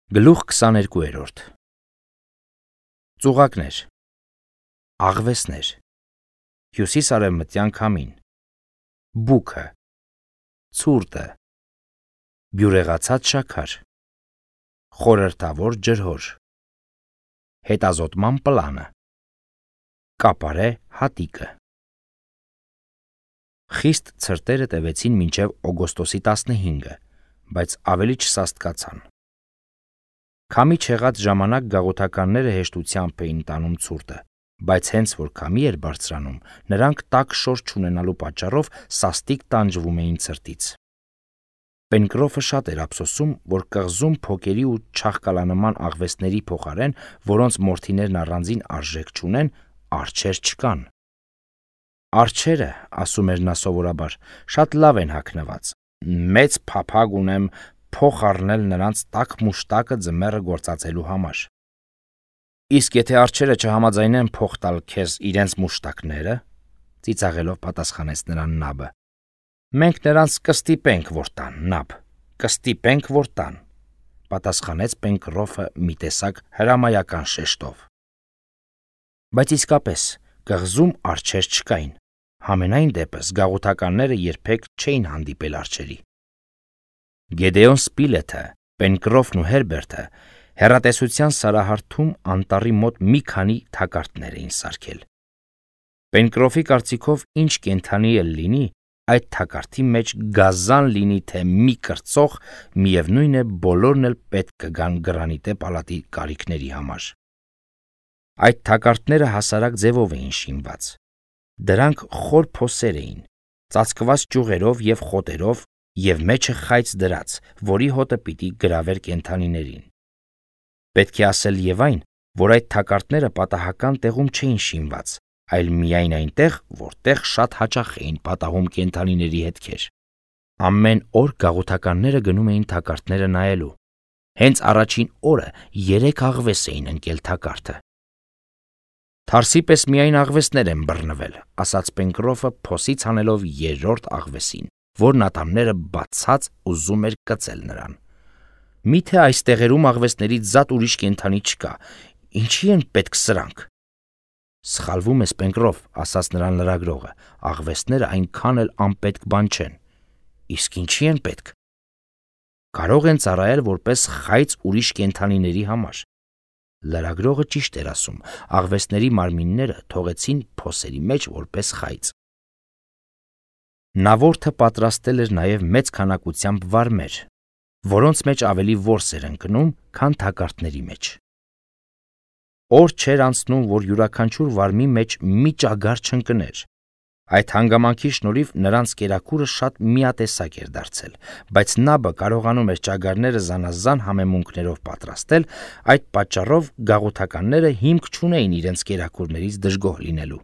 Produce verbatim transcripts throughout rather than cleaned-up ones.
Գլուխ քսաներկու Ծուղակներ, աղվեսներ, հյուսիս-արևմտյան քամին, բուքը, ցուրտը, բյուրեղացած շաքար, խորհրդավոր ջրհոր, հետազոտման պլանը, կապարե հատիկը։ Խիստ ցրտերը տևեցին մինչև օգոստոսի տասնհինգը, բայց ավելի չսաստկացան։ Քամի չեղած ժամանակ գաղութականները հեշտությամբ էին տանում ցուրտը, բայց հենց որ քամի էր բարձրանում, նրանք տաք շոր չունենալու պատճառով սաստիկ տանջվում էին ցրտից։ Պենկրոֆը շատ էր ափսոսում, որ կղզում փոքերի ու չաղկալանման աղվեսների փոխարեն, որոնց մորթիներն առանձին արժեք չունեն, արջեր չկան։ Արջերը, ասում էր նա սովորաբար, շատ լավ են հագնված, մեծ փափագ ունեմ փոխ առնել նրանց տաք մուշտակը ձմեռը գործածելու համար։ Իսկ եթե արջերը չհամաձայնեն փոխ տալ քեզ իրենց մուշտակները, ծիծաղելով պատասխանեց նրան նաբը, մենք նրանց կստիպենք, որ տան, նաբ, կստիպենք, որ տան, պատասխանեց Պենկրոֆը մի տեսակ հրամայական շեշտով։ Բայց իսկապես կղզում արջեր չկային, համենայն դեպս գաղութականները երբեք չէին հանդիպել արջերի։ Գեդեոն Սպիլեթը, Պենկրոֆն ու Հերբերտը հեռատեսության սարահարթում անտառի մոտ մի քանի թակարդներ էին սարքել։ Պենկրոֆի կարծիքով ինչ կենդանի էլ լինի, այդ թակարդի մեջ գազան լինի թե մի կրծող, միևնույն է բոլորն էլ պետք կգան գրանիտե պալատի կարիքների համար։ Այդ թակարդները հասարակ ձևով էին շինված։ Դրանք խոր փոսեր էին, ծածկված ճյուղերով և խոտերով և մեջը խայծ դրած, որի հոտը պիտի գրավեր կենդանիներին։ Պետք է ասել և այն, որ այդ թակարդները պատահական տեղում չէին շինված, այլ միայն այնտեղ, որտեղ շատ հաճախ էին պատահում կենդանիների հետքեր։ Ամեն օր գաղութականները գնում էին թակարդները նայելու։ Հենց առաջին օրը երեք աղվես էին ընկել թակարդը։ Թարսի պես միայն աղվեսներ են բռնվել, ասաց Պենկրոֆը փոսից հանելով երրորդ աղվեսին, որն ատամները բացած ուզում էր կծել նրան։ Միթե այս տեղերում աղվեսներից զատ ուրիշ կենդանի չկա, ինչի են պետք սրանք։ Սխալվում ես, Պենկրոֆ, ասաց նրան լրագրողը, աղվեսները այնքան էլ անպետք բան չեն։ Իսկ ինչի են պետք։ Կարող են ծառայել որպես խայծ ուրիշ կենդանիների համար։ Լրագրողը ճիշտ էր ասում, աղվեսների մարմինները թողեցին փոսերի մեջ որպես խայծ։ Նավորդը պատրաստել էր նաև մեծ քանակությամբ վարմեր, որոնց մեջ ավելի որս էր ընկնում, քան թակարդների մեջ։ Օր չէր անցնում, որ յուրաքանչյուր վարմի մեջ մի ճագար չընկներ։ Այդ հանգամանքի շնորհիվ նրանց կերակուրը շատ միատեսակ էր դարձել, բայց նաբը կարողանում էր ճագարները զանազան համեմունքներով պատրաստել, այդ պատճառով գաղութականները հիմք չունեին իրենց կերակուրներից դժգոհ լինելու։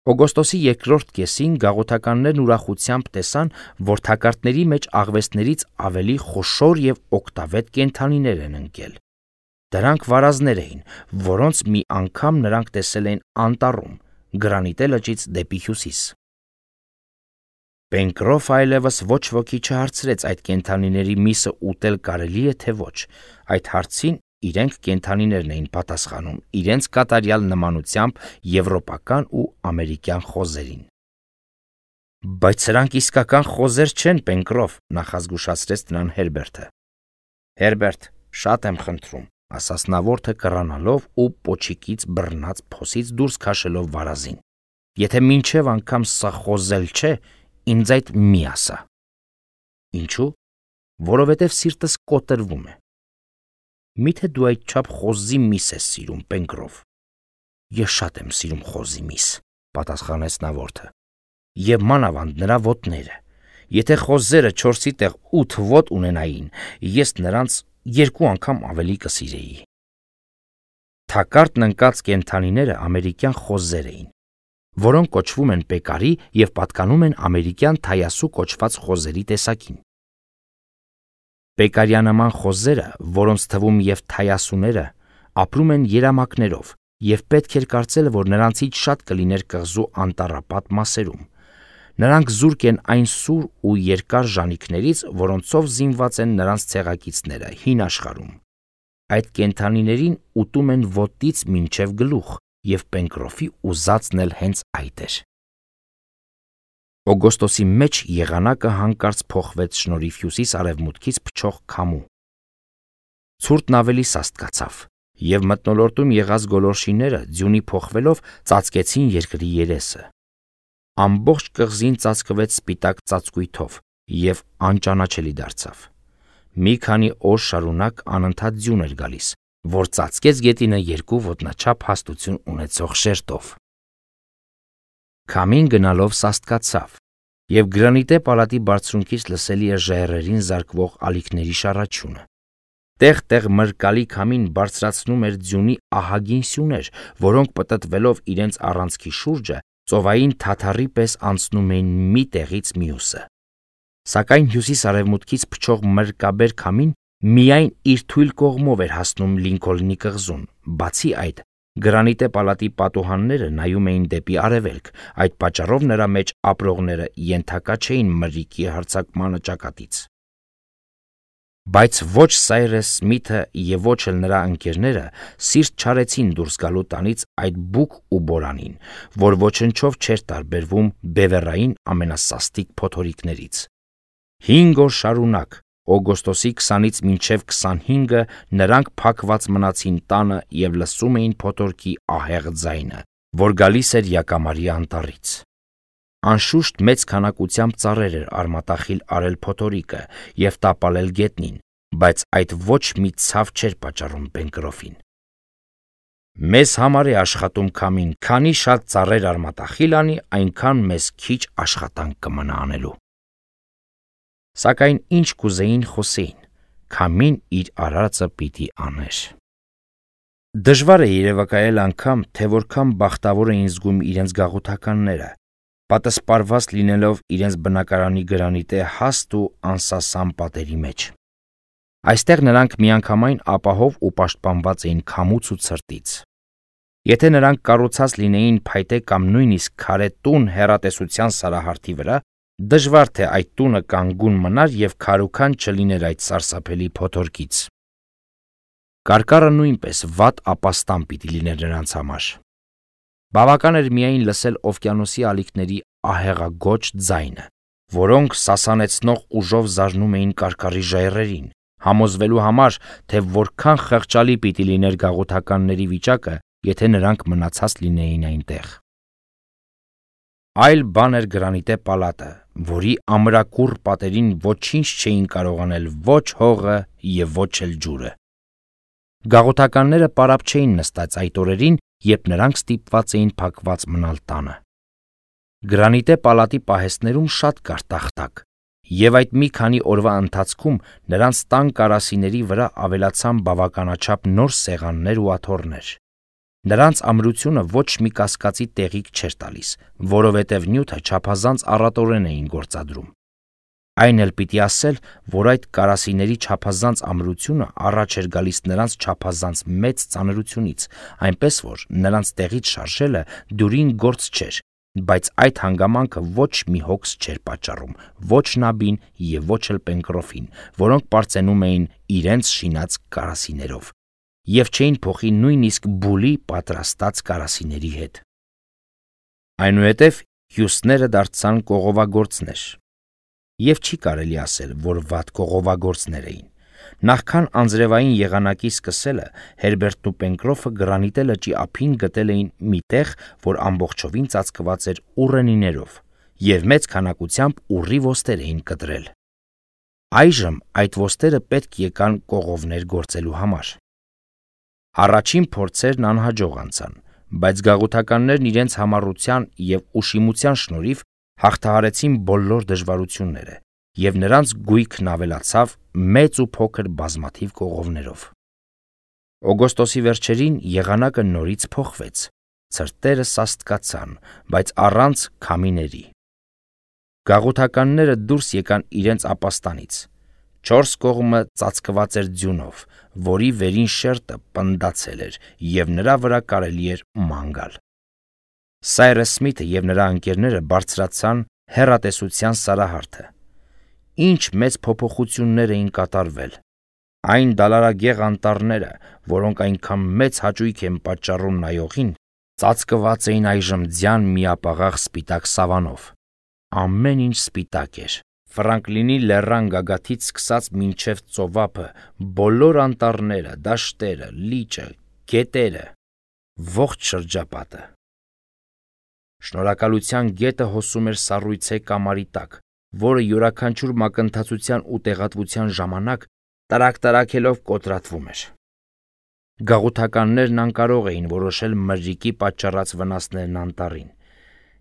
Օգոստոսի երկրորդ կեսին գաղութականներն ուրախությամբ տեսան, որ թակարդների մեջ աղվեսներից ավելի խոշոր և օգտավետ կենդանիներ են ընկել։ Դրանք վարազներ էին, որոնց մի անգամ նրանք տեսել էին անտառում, Գրանիտե լճից դեպի հյուսիս։ Պենկրոֆը այլևս ոչ ոքի չհարցրեց այդ կենդանիների միսը ուտել կարելի է թե ոչ, այդ հարցին իրենք կենդանիներն էին պատասխանում իրենց կատարյալ նմանությամբ եվրոպական ու ամերիկյան խոզերին։ Բայց սրանք իսկական խոզեր չեն, Պենկրոֆ, նախազգուշացրեց նրան Հերբերտը։ Հերբերտ, շատ եմ խնդրում, ասաց նավորդը կռանալով ու պոչիկից բռնած փոսից դուրս քաշելով վարազին։ Եթե մինչև անգամ սա խոզել չէ, ինձ այդ մի ասա։ Ինչու՞։ Որովհետև սիրտս կոտրվում է։ Միթե դու այդչափ խոզի միս ես սիրում, Պենկրոֆ։ Ես շատ եմ սիրում խոզի միս, պատասխանեց նավորդը։ Եվ մանավանդ նրա ոտները։ Եթե խոզերը չորսի տեղ ութ ոտ ունենային, ես նրանց երկու անգամ ավելի կսիրեի։ Թակարդն ընկած կենդանիները ամերիկյան խոզեր էին, որոնք կոչվում են պեկարի և պատկանում են ամերիկյան թայասու կոչված խոզերի տեսակին։ Պեկարյանաման խոզերը, որոնց թվում և թայասուները, ապրում են երամակներով, և պետք էր կարծել, որ նրանցից շատ կլիներ կղզու անտառապատ մասերում։ Նրանք զուրկ են այն սուր ու երկար ժանիքներից, որոնցով զինված են նրանց ցեղակիցները հին աշխարհում։ Այդ կենդանիներին ուտում են ոտից մինչև գլուխ, եւ Պենկրոֆի ուզածն էլ հենց այդ էր։ Օգոստոսի մեջ եղանակը հանկարծ փոխվեց շնորհիվ հյուսիս-արևմուտքից փչող քամու։ Ցուրտն ավելի սաստկացավ, եւ մթնոլորտում եղած գոլորշիները ձյունի փոխվելով ծածկեցին երկրի երեսը։ Ամբողջ կղզին ծածկվեց սպիտակ ծածկույթով եւ անճանաչելի դարձավ։ Մի քանի օր շարունակ անընդհատ ձյուն էր գալիս, որ ծածկեց գետինը երկու ոտնաչափ հաստություն ունեցող շերտով։ Քամին գնալով սաստկացավ, եւ գրանիտե պալատի բարձունքից լսելի էր ժայռերին զարկվող ալիքների շառաչյունը։ Տեղ-տեղ մրկալի քամին բարձրացնում էր ձյունի ահագին սյուներ, որոնք պտտվելով իրենց առանցքի շուրջը ծովային թաթարի պես անցնում էին մի տեղից մյուսը։ Սակայն հյուսիս-արևմուտքից փչող մրկաբեր քամին միայն իր թույլ կողմով էր հասնում Լինքոլնի կղզուն։ Բացի այդ, գրանիտե պալատի պատուհանները նայում էին դեպի արևելք, այդ պատճառով նրա մեջ ապրողները ենթակա չէին մրրիկի հարձակմանը ճակատից։ Բայց ոչ Սայրես Սմիթը եւ ոչ էլ նրա ընկերները սիրտ չարեցին դուրս գալու տանից այդ բուկ ու բորանին, որ ոչնչով չէր տարբերվում բևեռային ամենասաստիկ փոթորիկներից։ Հինգ օր շարունակ, օգոստոսի քսանից մինչև քսանհինգը, նրանք փակված մնացին տանը եւ լսում էին փոթորկի ահեղ ձայնը, որ գալիս էր Յակամարի անտառից։ Անշուշտ մեծ քանակությամբ ծառեր էր արմատախիլ արել փոթորիկը եւ տապալել գետնին, բայց այդ ոչ մի ցավ չէր պատճառում Պենկրոֆին։ Մեզ համար է աշխատում քամին, քանի շատ ծառեր արմատախիլ անի, այնքան մեզ քիչ աշխատանք կմնա անելու։ Սակայն ինչ կուզեին խոսեին, քամին իր արածը պիտի աներ։ Դժվար է երևակայել անգամ, թե որքան բախտավոր էին զգում իրենց գաղութականները, պատսպարված լինելով իրենց բնակարանի գրանիտե հաստ ու անսասան պատերի մեջ։ Այստեղ նրանք միանգամայն ապահով ու պաշտպանված էին քամուց ու ցրտից։ Եթե նրանք կառուցած լինեին փայտե կամ նույնիսկ քարե տուն հեռատեսության սարահարթի վրա, դժվար թե այդ տունը կանգուն մնար եւ քարուքան չլիներ այդ սարսափելի փոթորկից։ Կարկառը նույնպես վատ ապաստան պիտի լիներ նրանց համար։ Բավական էր միայն լսել օվկիանոսի ալիքների ահեղագոչ ձայնը, որոնք սասանեցնող ուժով զարնում էին կարկառի ժայռերին, համոզվելու համար, թե որքան խղճալի պիտի լիներ գաղութականների վիճակը, եթե նրանք մնացած լինեին այնտեղ։ Այլ բան էր գրանիտե պալատը, որի ամրակուռ պատերին ոչինչ չէին կարող անել ոչ հողը եւ ոչ էլ ջուրը։ Գաղութականները պարապ չէին նստած այդ օրերին, երբ նրանք ստիպված էին փակված մնալ տանը։ Գրանիտե պալատի պահեստներում շատ կար տախտակ, եւ այդ մի քանի օրվա ընթացքում նրանց տան կարասիների վրա ավելացան բավականաչափ նոր սեղաններ ու աթոռներ։ Նրանց ամրությունը ոչ մի կասկածի տեղիք չէր տալիս, որովհետև նյութը չափազանց առատորեն էին գործադրում։ Այն էլ պիտի ասել, որ այդ կարասիների չափազանց ամրությունը առաջ էր գալիս նրանց չափազանց մեծ ծանրությունից, այնպես որ նրանց տեղից շարժելը դյուրին գործ չէր, բայց այդ հանգամանքը ոչ մի հոգս չէր պատճառում, ոչ Նաբին եւ ոչ էլ Պենկրոֆին, որոնք պարծենում էին իրենց շինած կարասիներով եւ չէին փոխի նույնիսկ բուլի պատրաստած կարասիների հետ։ Այնուհետև հյուսները դարձան կողովագործներ։ Եվ չի կարելի ասել, որ վատ կողովագործներ էին։ Նախքան անձրևային եղանակի սկսելը Հերբերտն ու Պենկրոֆը գրանիտե լճի ափին գտել էին մի տեղ, որ ամբողջովին ծածկված էր ուռենիներով, եւ մեծ քանակությամբ ուռի ոստեր էին կտրել։ Այժմ այդ ոստերը պետք եկան կողովներ գործելու համար։ Առաջին փորձերն անհաջող անցան, բայց գաղութականներն իրենց համառության եւ ուշիմության շնորհիվ հաղթահարեցին բոլոր դժվարությունները, եւ նրանց գույքն ավելացավ մեծ ու փոքր բազմաթիվ կողովներով։ Օգոստոսի վերջերին եղանակը նորից փոխվեց, ցրտերը սաստկացան, բայց առանց քամիների։ Գաղութականները դուրս եկան իրենց ապաստանից։ Չորս կողմը ծածկված էր ձյունով, որի վերին շերտը պնդացել էր, եւ նրա վրա կարելի էր ման գալ։ Սայրես Սմիթը եւ նրա ընկերները բարձրացան հեռատեսության սարահարթը։ Ինչ մեծ փոփոխություններ էին կատարվել։ Այն դալարագեղ անտառները, որոնք այնքան մեծ հաճույք են պատճառում նայողին, ծածկված էին այժմ ձյան միապաղաղ սպիտակ սավանով։ Ամեն ինչ սպիտակ էր։ Ֆրանկլինի լեռան գագաթից սկսած մինչև ծովափը, բոլոր անտառները, դաշտերը, լիճը, գետերը, ողջ շրջապատը։ Շնորհակալության գետը հոսում էր սառույցե կամարի տակ, որը յուրաքանչյուր մակընթացության ու տեղատվության ժամանակ տարակ-տարակելով կոտրատվում էր։ Գաղութականներն անկարող էին որոշել մրրիկի պատճառած վնասներն անտառին։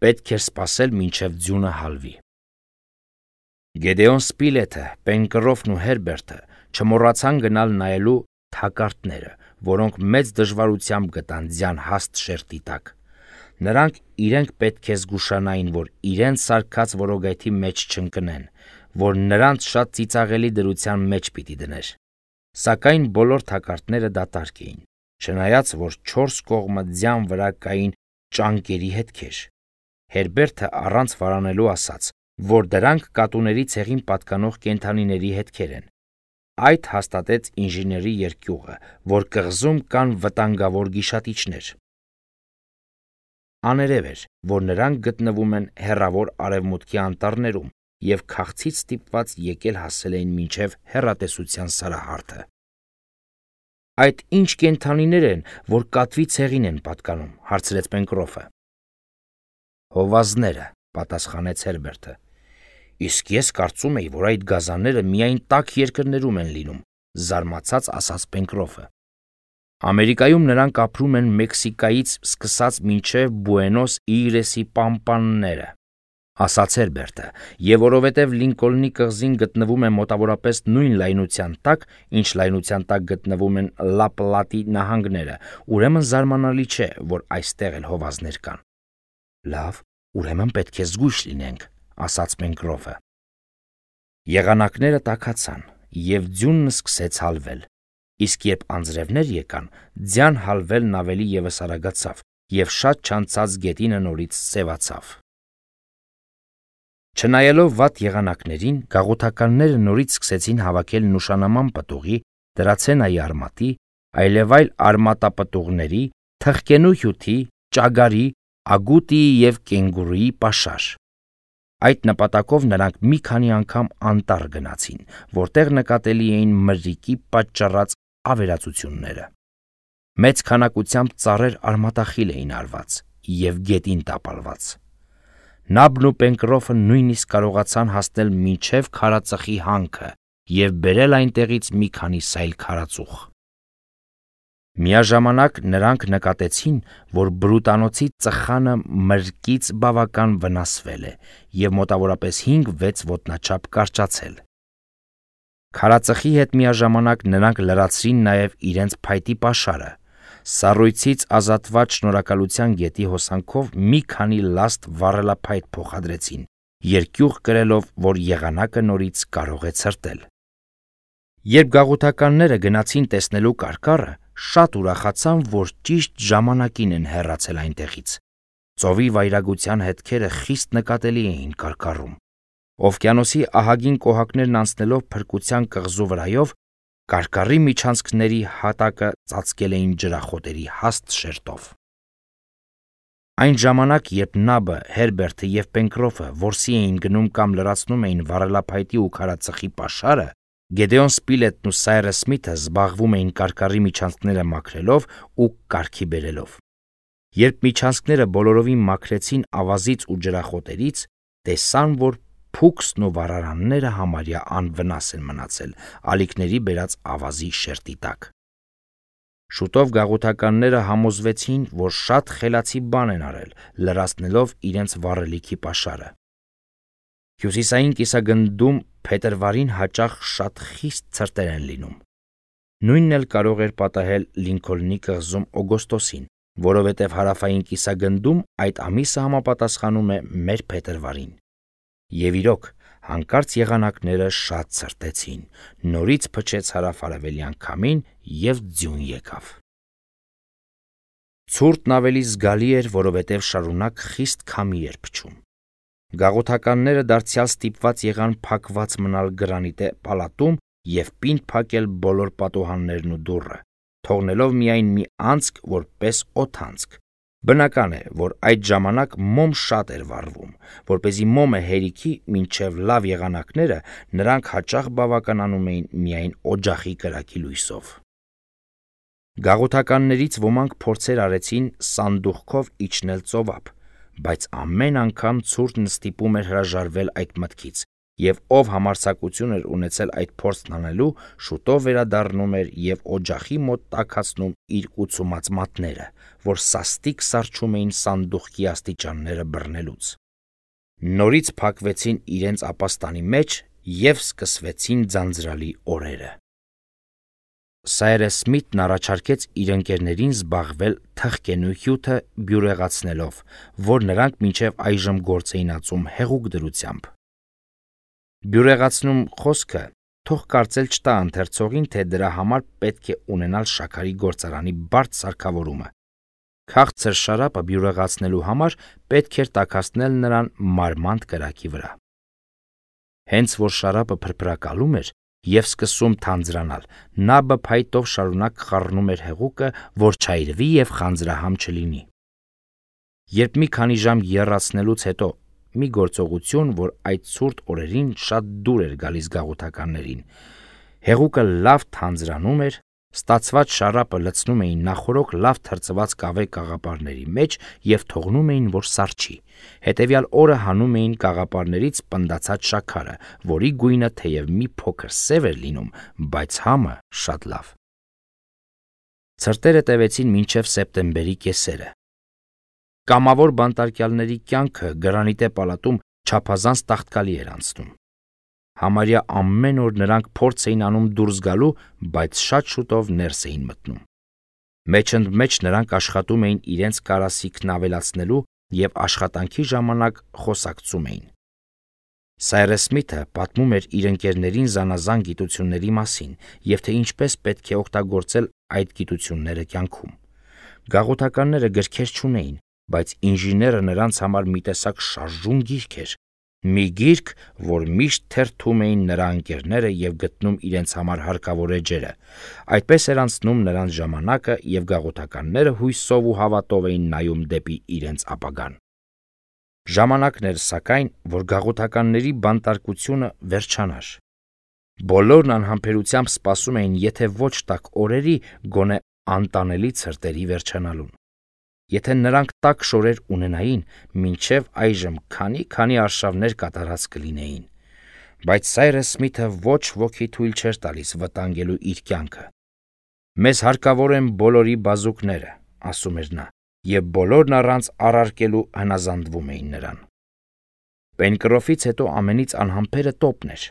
Պետք էր սպասել, մինչև ձյունը հալվի։ Գեդեոն Սպիլեթը, Պենկրոֆն ու Հերբերտը չմոռացան գնալ նայելու թակարդները, որոնք մեծ դժվարությամբ գտան ձյան հաստ շերտի տակ։ Նրանք իրենք պետք է զգուշանային, որ իրենց սարքած որոգայթի մեջ չընկնեն, որ նրանց շատ ծիծաղելի դրության մեջ պիտի դներ։ Սակայն բոլոր թակարդները դատարկ էին, չնայած որ չորս կողմը ձյան վրա կային ճանկերի հետքեր։ Հերբերտը առանց վարանելու ասաց, որ դրանք կատուների ցեղին պատկանող կենդանիների հետքեր են։ Այդ հաստատեց ինժեների երկյուղը, որ կղզում կան վտանգավոր գիշատիչներ։ Աներև էր, որ նրանք գտնվում են հեռավոր արևմուտքի անտառներում և քաղցից ստիպված եկել հասել էին մինչև հեռատեսության սարահարթը։ Այդ ինչ կենդանիներ են, որ կատվի ցեղին են պատկանում, հարցրեց Պենկրոֆը։ Հովազները, պատասխանեց Հերբերտը։ Իսկ ես կարծում էի, որ այդ գազանները միայն տաք երկրներում են լինում, զարմացած ասաց Պենկրոֆը։ Ամերիկայում նրանք ապրում են Մեքսիկայից սկսած մինչև Բուենոս Իրեսի պամպանները, ասաց Հերբերտը, և որովհետև Լինկոլնի կղզին գտնվում է մոտավորապես նույն լայնության տակ, ինչ լայնության տակ գտնվում են Լա Պլատի նահանգները, ուրեմն զարմանալի չէ, որ այստեղ էլ հովազներ կան։ Լավ, ուրեմն պետք է զգույշ լինենք, ասաց Պենկրոֆը։ Եղանակները տաքացան, և ձյունն սկսեց հալվել, իսկ երբ անձրևներ եկան, ձյան հալվելն ավելի ևս արագացավ, և շատ չանցած գետինը նորից սևացավ։ Չնայելով վատ եղանակներին, գաղութականները նորից սկսեցին հավաքել նուշանաման պտուղի, դրացենայի արմատի, այլևայլ արմատապտուղների, թխկենու հյութի, ճագարի, ագուտիի և կենգուրուի պաշար։ Այդ նպատակով նրանք մի քանի անգամ անտառ գնացին, որտեղ նկատելի էին մրրիկի պատճառած ավերածությունները։ Մեծ քանակությամբ ծառեր արմատախիլ էին արված և գետին տապալված։ Նաբն ու Պենկրոֆը նույնիսկ կարողացան հասնել մինչև քարածխի հանքը և բերել այնտեղից մի քանի սայլ քարածուխ։ Միաժամանակ նրանք նկատեցին, որ բրուտանոցի ծխանը մրրկից բավական վնասվել է և մոտավորապես հինգ-վեց ոտնաչափ կարճացել։ Քարածխի հետ միաժամանակ նրանք լրացրին նաև իրենց փայտի պաշարը, սառույցից ազատված Շնորհակալության գետի հոսանքով մի քանի լաստ վառելափայտ փոխադրեցին, երկյուղ կրելով, որ եղանակը նորից կարող է ցրտել։ Երբ գաղութականները գնացին տեսնելու կարկառը, շատ ուրախացան, որ ճիշտ ժամանակին են հեռացել այնտեղից։ Ծովի վայրագության հետքերը խիստ նկատելի էին կարկառում։ Օվկիանոսի ահագին կոհակներն անցնելով փրկության կղզու վրայով, կարկառի միջանցքների հատակը ծածկել էին ջրախոտերի հաստ շերտով։ Այն ժամանակ, երբ Նաբը, Հերբերտը և Պենկրոֆը որսի էին գնում կամ լրացնում էին վառելափայտի ու քարածխի պաշարը, Գեդեոն Սպիլետն ու Սայրս Սմիթը զբաղվում էին կարկառի միջանցքները մաքրելով ու կարգի բերելով։ Երբ միջանցքները բոլորովին մաքրեցին ավազից ու ջրախոտերից, տեսան, որ փուքսն ու վառարանները համարյա անվնաս են մնացել ալիքների բերած ավազի շերտի տակ։ Շուտով գաղութականները համոզվեցին, որ շատ խելացի բան են արել, լրացնելով իրենց վառելիքի պաշարը։ Հյուսիսային կիսագնդում փետրվարին հաճախ շատ խիստ ցրտեր են լինում։ Նույնն էլ կարող էր պատահել Լինքոլնի կղզում օգոստոսին, որովհետև հարավային կիսագնդում այդ ամիսը համապատասխանում է մեր փետրվարին։ Եվ իրոք, հանկարծ եղանակները շատ ցրտեցին, նորից փչեց հարավ-արևելյան քամին և ձյուն եկավ։ Ցուրտն ավելի զգալի էր, որովհետև շարունակ խիստ քամի էր փչում։ Գաղութականները դարձյալ ստիպված եղան փակված մնալ գրանիտե պալատում և պինդ փակել բոլոր պատուհաններն ու դուռը, թողնելով միայն մի անցք որպես օդանցք։ Բնական է, որ այդ ժամանակ մոմ շատ էր վառվում, որպեսզի մոմը հերիքի մինչև լավ եղանակները նրանք հաճախ բավականանում էին միայն օջախի կրակի լույսով։ Գաղութականներից ոմանք փորձեր արեցին սանդուղքով իջնել ծովափ, բայց ամեն անգամ ցուրտն ստիպում էր հրաժարվել այդ մտքից, և ով համարձակություն էր ունեցել այդ փորձն անելու, շուտով վերադառնում էր և օջախի մոտ տաքացնում իր ուցումած մատները, որ սաստիկ սառչում էին սանդուղքի աստիճանները բռնելուց։ Նորից փակվեցին իրենց ապաստանի մեջ և սկսվեցին ձանձրալի օրերը։ Սայրես Սմիթն առաջարկեց իր ընկերներին զբաղվել թխկենուհյութը բյուրեղացնելով, որ նրանք մինչև այժմ գործ էին ածում հեղուկ դրությամբ։ Բյուրեղացնում խոսքը թող կարծել չտա ընթերցողին, թե դրա համար պետք է ունենալ շաքարի գործարանի բարդ սարքավորումը։ Քաղցր շարապը բյուրեղացնելու համար պետք էր տաքացնել նրան մարմանդ կրակի վրա։ Հենց որ շարապը փրփրակալում էր և սկսում թանձրանալ, նա բփայտով շարունակ խառնում էր հեղուկը, որ չայրվի և խանձրահամ չլինի։ Երբ մի քանի ժամ եռացնելուց հետո մի գործողություն, որ այդ ցուրտ օրերին շատ դուր էր գալիս գաղութականներին, հեղուկը լավ թանձրանում էր, ստացված շարապը լցնում էին նախօրոք լավ թրծված կավե կաղապարների մեջ և թողնում էին, որ սառչի, հետևյալ օրը հանում էին կաղապարներից պնդացած շաքարը, որի գույնը թեև մի փոքր սև էր լինում, բայց համը շատ լավ։ Ցրտերը տևեցին մինչև սեպտեմբերի կեսերը։ Կամավոր բանտարկյալների կյանքը գրանիտե պալատում չափազանց տաղտկալի էր անցնում։ Համարյա ամեն օր նրանք փորձ էին անում դուրս գալու, բայց շատ շուտով ներս էին մտնում։ Մեջընդմեջ նրանք աշխատում էին իրենց կարասիքն ավելացնելու և աշխատանքի ժամանակ խոսակցում էին։ Սայրես Սմիթը պատմում էր իր ընկերներին զանազան գիտությունների մասին և թե ինչպես պետք է օգտագործել այդ գիտությունները կյանքում։ Գաղութականները գրքեր չունեին, բայց ինժեները նրանց համար մի տեսակ շարժուն գիրք էր, մի գիրք, որ միշտ թերթում էին նրա ընկերները և գտնում իրենց համար հարկավոր էջերը։ Այդպես էր անցնում նրանց ժամանակը, և գաղութականները հույսով ու հավատով էին նայում դեպի իրենց ապագան։ Ժամանակն էր, սակայն, որ գաղութականների բանտարկությունը վերջանար։ Բոլորն անհամբերությամբ սպասում էին, եթե ոչ տաք օրերի, գոնե անտանելի ցրտերի վերջանալուն։ Եթե նրանք տաք շորեր ունենային, մինչև այժմ քանի-քանի արշավներ կատարած կլինեին։ Բայց Սայրես Սմիթը ոչ ոքի թույլ չէր տալիս վտանգելու իր կյանքը։ «Մեզ հարկավոր են բոլորի բազուկները», ասում էր նա, և բոլորն առանց առարկելու հնազանդվում էին նրան։ Պենկրոֆից հետո ամենից անհամբերը տոպն էր։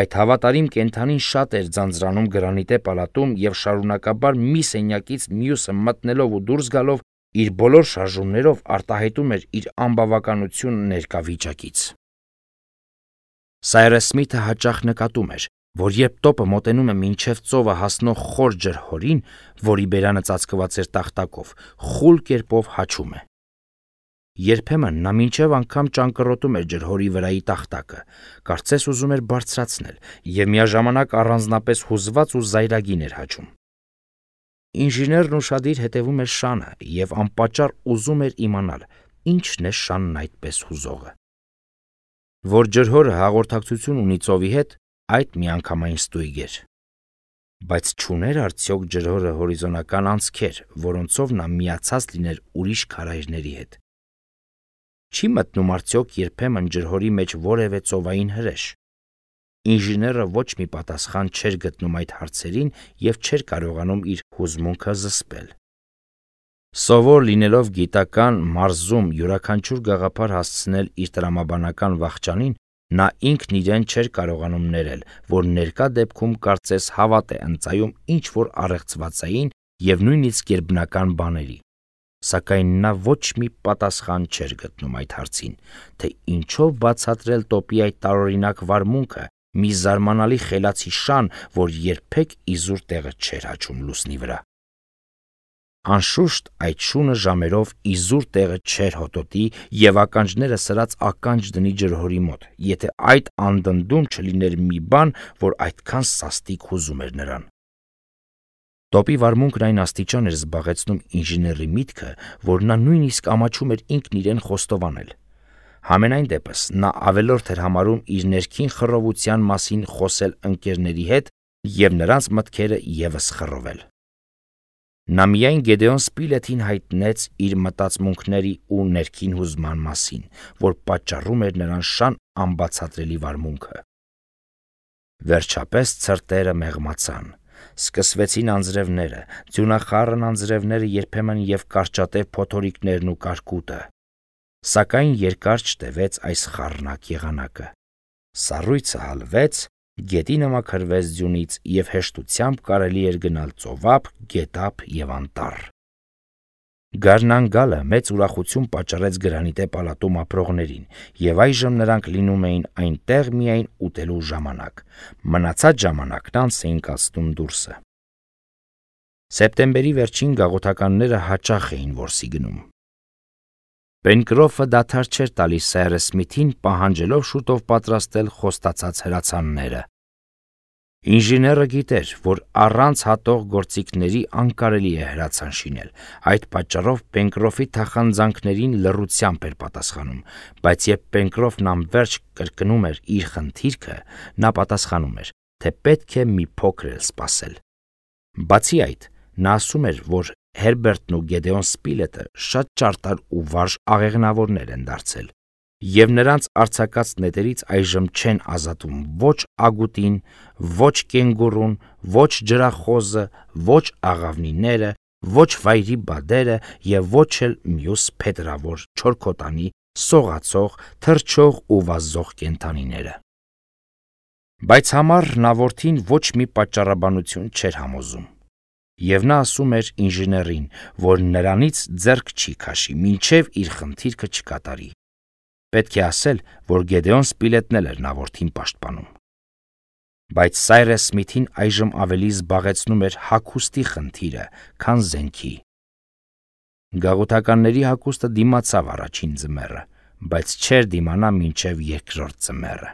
Այդ հավատարիմ կենդանին շատ էր ձանձրանում գրանիտե պալատում և շարունակաբար մի սենյակից մյուսը մտնելով ու դուրս գալով իր բոլոր շարժումներով արտահայտում էր իր անբավականությունը ներկա վիճակից։ Սայրես Սմիթը հաճախ նկատում էր, որ երբ տոպը մոտենում է մինչև ծովը հասնող խոր ջրհորին, որի բերանը ծածկված էր տախտակով, խուլ կերպով հաչում է։ Երբեմն նա մինչև անգամ ճանկռոտում էր ջրհորի վրայի տախտակը, կարծես ուզում էր բարձրացնել, և միաժամանակ առանձնապես հուզված ու զայրագին էր հաչում։ Ինժեներն ուշադիր հետևում էր շանը և անպատճառ ուզում էր իմանալ, ինչն է շանն այդպես հուզողը։ Որ ջրհորը հաղորդակցություն ունի ծովի հետ, այդ միանգամայն ստույգ էր։ Բայց չուներ արդյոք ջրհորը հորիզոնական անցքեր, որոնցով նա միացած լիներ ուրիշ քարայրների հետ։ Չի մտնում արդյոք երբեմն ջրհորի մեջ որևէ ծովային հրեշ։ Ինժեները ոչ մի պատասխան չէր գտնում այդ հարցերին և չէր կարողանում իր հուզմունքը զսպել։ Սովոր լինելով գիտական մարզում յուրաքանչյուր գաղափար հասցնել իր տրամաբանական վախճանին, նա ինքն իրեն չէր կարողանում ներել, որ ներկա դեպքում կարծես հավատ է ընծայում ինչ-որ առեղծվածային և նույնիսկ գերբնական բաների։ Սակայն նա ոչ մի պատասխան չէր գտնում այդ հարցին, թե ինչով բացատրել տոպի այդ տարօրինակ վարմունքը, մի զարմանալի խելացի շան, որ երբեք իզուր տեղը չէր հաչում լուսնի վրա։ Անշուշտ այդ շունը ժամերով իզուր տեղը չէր հոտոտի եւ ականջները սրած ականջ դնի ջրհորի մոտ, եթե այդ անդնդում չլիներ մի բան, որ այդքան սաստիկ հուզում էր նրան։ Տոպի վարմունքն այն աստիճան էր զբաղեցնում ինժեների միտքը, որ նա նույնիսկ ամաչում էր ինքն իրեն խոստովանել։ Համենայն դեպս նա ավելորդ էր համարում իր ներքին խռովության մասին խոսել ընկերների հետ եւ նրանց մտքերը եւս խռովել։ Նա միայն Գեդեոն Սպիլեթին հայտնեց իր մտածմունքների ու ներքին հուզման մասին, որ պատճառում էր նրան շան անբացատրելի վարմունքը։ Վերջապես ցրտերը մեղմացան, սկսվեցին անձրևները, ձյունախառն անձրևները երբեմն եւ կարճատև փոթորիկներն ու կարկուտը, սակայն երկար չտևեց այս խառնակ եղանակը։ Սառույցը հալվեց, գետինը մաքրվեց ձյունից եւ հեշտությամբ կարելի էր գնալ ծովափ, գետափ եւ անտառ։ Գարնան-գալը մեծ ուրախություն պատճառեց գրանիտե պալատում ապրողներին, եւ այժմ նրանք լինում էին այնտեղ միայն ուտելու ժամանակ, մնացած ժամանակն անց էին կացնում դուրսը։ Սեպտեմբերի վերջին գաղութականները հաճախ էին որսի գնում։ Պենկրոֆը դադար չէր տալիս Սայրս Սմիթին պահանջելով շուտով պատրաստել խոստացած հրացանները։ Ինժեները գիտեր, որ առանց հատող գործիքների անկարելի է հրացան շինել, այդ պատճառով Պենկրոֆի թախանձանքներին լռությամբ էր պատասխանում, բայց երբ Պենկրոֆն անverջ կրկնում էր իր խնդիրքը, նա պատասխանում էր, թե պետք է մի փոքր էլ սպասել։ Բացի այդ, նա ասում էր, որ Հերբերտն ու Գեդեոն Սպիլետը շատ ճարտար ու վարժ աղեղնավորներ են դարձել, եւ նրանց արձակած նետերից այժմ չեն ազատում ոչ ագուտին, ոչ կենգուրուն, ոչ ջրախոզը, ոչ աղավնիները, ոչ վայրի բադերը եւ ոչ էլ մյուս փետրավոր, չորքոտանի, սողացող, թռչող ու վազող կենդանիները։ Բայց համառ նա որդին ոչ մի պատճառաբանություն չէր համոզում։ Եվ նա ասում էր ինժեներին, որ նրանից ձեռք չի քաշի, մինչև իր խնդիրքը չկատարի։ Պետք է ասել, որ Գեդեոն Սպիլետն էլ էր նա որդին պաշտպանում։ Բայց Սայրս Սմիթին այժմ ավելի զբաղեցնում էր հագուստի խնդիրը, քան զենքի։ Գաղութականների հագուստը դիմացավ առաջին ձմեռը, բայց չէր դիմանա մինչև երկրորդ ձմեռը։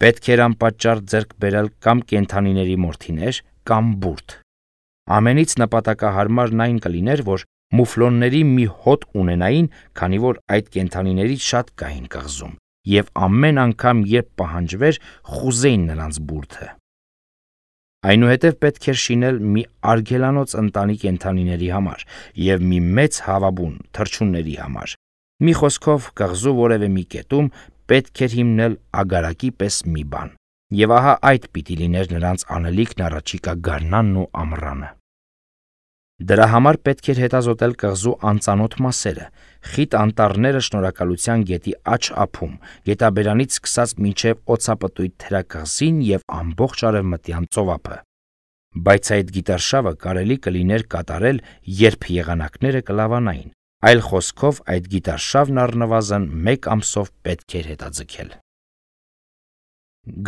Պետք էր անպատճառ ձեռք բերել կամ կենդանիների մորթիներ, կամ բուրդ։ Ամենից նպատակահարմարն այն կլիներ, որ մուֆլոնների մի հոտ ունենային, քանի որ այդ կենդանիներից շատ կային կղզում, եւ ամեն անգամ, երբ պահանջվեր, խուզեին նրանց բուրդը։ Այնուհետև պետք էր շինել մի արգելանոց ընտանի կենդանիների համար եւ մի մեծ հավաբուն թռչունների համար։ Մի խոսքով, կղզու որևէ մի կետում պետք էր հիմնել ագարակի պես մի բան, եւ ահա այդ պիտի լիներ նրանց անելիքն առաջիկա գարնանն ու ամռանը։ Դրա համար պետք էր հետազոտել կղզու անծանոթ մասերը, խիտ անտառները շնորհակալության գետի աջ ափում, գետաբերանից սկսած մինչև օձապտույտ թերակղզին եւ ամբողջ արևմտյան ծովափը։ Բայց այդ գիտարշավը կարելի կլիներ կատարել, երբ եղանակները կլավանային, այլ խոսքով այդ գիտարշավն առնվազն մեկ ամսով պետք էր հետաձգել։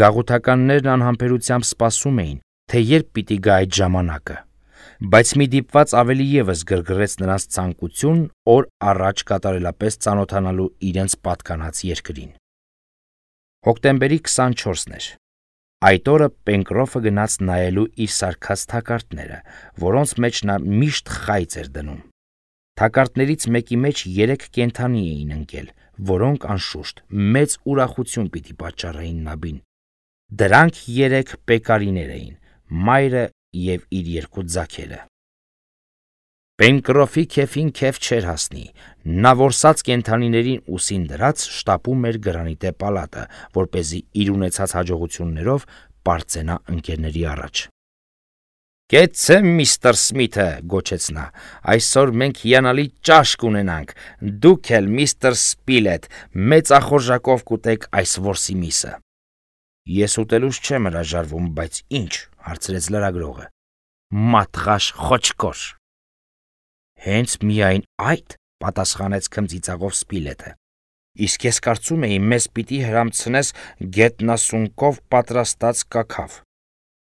Գաղութականներն անհամբերությամբ սպասում էին, թե երբ պիտի գա այդ ժամանակը, բայց մի դիպված ավելի եւս գրգռեց նրանց ցանկություն օր առաջ կատարելապես ծանոթանալու իրենց պատկանած երկրին։ Հոկտեմբերի քսանչորսն էր։ Այդ օրը Պենկրոֆը գնաց նայելու իր սարքած թակարդները, որոնց մեջ նա միշտ խայծ էր դնում։ Թակարդներից մեկի մեջ երեք կենդանի էին ընկել, որոնք անշուշտ մեծ ուրախություն պիտի պատճառեին նաբին։ Դրանք երեք պեկարիներ էին, մայրը եւ իր երկու ձագերը։ Պենկրոֆի քեֆին քեֆ չէր հասնի, նա որսած կենդանիներին ուսին դրած շտապում էր գրանիտե պալատը, որպեսզի իր ունեցած հաջողություններով պարծենա ընկերների առաջ։ Կեցցե միստր Սմիթը, գոչեց նա, այսօր մենք հիանալի ճաշկ ունենանք, դուք էլ միստր Սպիլետ, մեծ ախորժակով կուտեք այս որսի միսը։ Ես ուտելուց չեմ հրաժարվում, բայց ինչ, հարցրեց լրագրողը։ Մատղաշ խոչկոր։ Հենց միայն այդ, պատասխանեց քմծիծաղով Սպիլետը։ Իսկ ես կարծում էի, մեզ պիտի հրամցնես գետնասունկով պատրաստած կաքավ։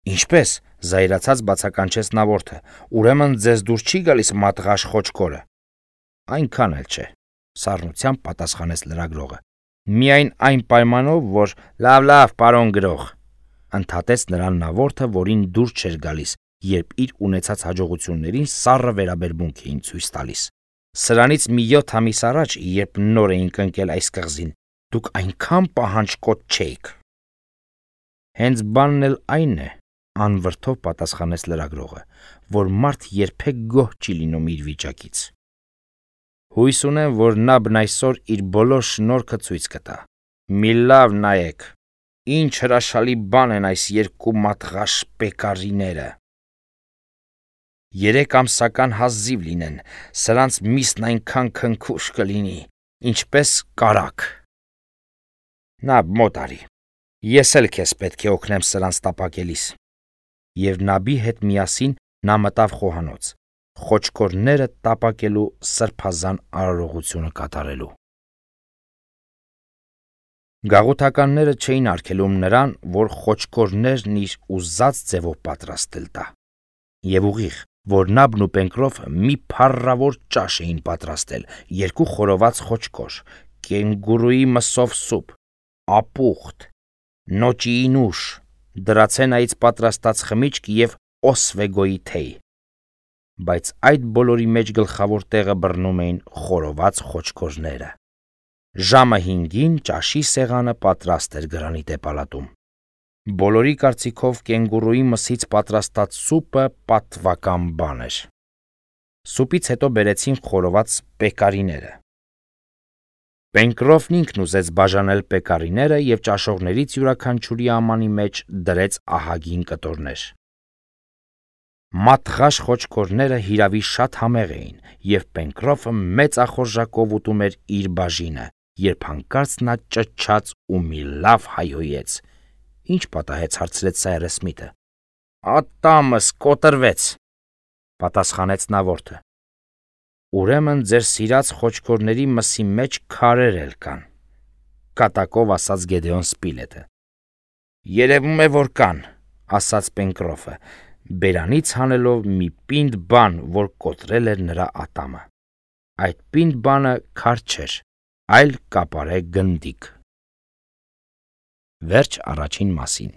Ինչպես, զայրացած բացականչեց նավորդը, ուրեմն ձեզ դուր չի գալիս մատղաշ խոչկորը։ Այնքան էլ չէ, սառնությամբ պատասխանեց լրագրողը։ Միայն այն պայմանով, որ լավ, լավ, պարոն գրող, ընդհատեց նրան նավորդը, որին դուր չէր գալիս, երբ իր ունեցած հաջողություններին սառը վերաբերմունք էին ցույց տալիս։ Սրանից մի յոթ ամիս առաջ, երբ նոր էինք ընկել այս կղզին, դուք այնքան պահանջկոտ չէիք։ Հենց բանն էլ այն է, անվրդով պատասխանեց լրագրողը, որ մարդ երբեք գոհ չի լինում իր վիճակից։ Հույս ունեմ, որ Նաբն այսօր իր բոլոր շնորհքը ցույց կտա։ Մի լավ նայեք, ինչ հրաշալի բան են այս երկու մատղաշ պեկարիները։ Երեք ամսական հազիվ լինեն, սրանց միսն այնքան քնքուշ կլինի, ինչպես կարակ։ Նաբ, մոտ արի, ես էլ քեզ պետք է օգնեմ սրանց տապակելիս։ Եվ Նաբի հետ միասին նա մտավ խոհանոց, խոչկորները տապակելու սրբազան արարողությունը կատարելու։ Գաղութականները չէին արգելում նրան, որ խոչկորներն իր ուզած ձևով պատրաստել տա։ Եվ ուղիղ, որ Նաբն ու Պենկրոֆը մի փառավոր ճաշ էին պատրաստել, երկու խորոված խոչկոր, կենգուրուի մսով սուպ, ապուխտ, նոճիի նուշ, դրացենայից պատրաստած խմիչք և օսվեգոյի թեյ։ Բայց այդ բոլորի մեջ գլխավոր տեղը բռնում էին խորոված խոչկորները։ Ժամը հինգին ճաշի սեղանը պատրաստ էր գրանիտե պալատում։ Բոլորի կարծիքով կենգուրուի մսից պատրաստած սուպը պատվական բան էր։ Սուպից հետո բերեցին խորոված պեկարիները։ Պենկրոֆն ինքն ուզեց բաժանել պեկարիները և ճաշողներից յուրաքանչյուրի ամանի մեջ դրեց ահագին կտորներ։ Մատղաշ խոչկորները հիրավի շատ համեղ էին, և Պենկրոֆը մեծ ախորժակով ուտում էր իր բաժինը, երբ հանկարծ նա ճչաց ու մի լավ հայհոյեց։ Ինչ պատահեց, հարցրեց Սայրս Սմիթը։ Ատամս կոտրվեց, պատասխանեց նավորդը։ Ուրեմն ձեր սիրած խոչկորների մսի մեջ քարեր էլ կան, կատակով ասաց Գեդեոն Սպիլետը։ Երևում է, որ կան, ասաց Պենկրոֆը, բերանից հանելով մի պինդ բան, որ կոտրել էր նրա ատամը։ Այդ պինդ բանը քար չէր, այլ կապարե գնդիկ։ Վերջ առաջին մասին։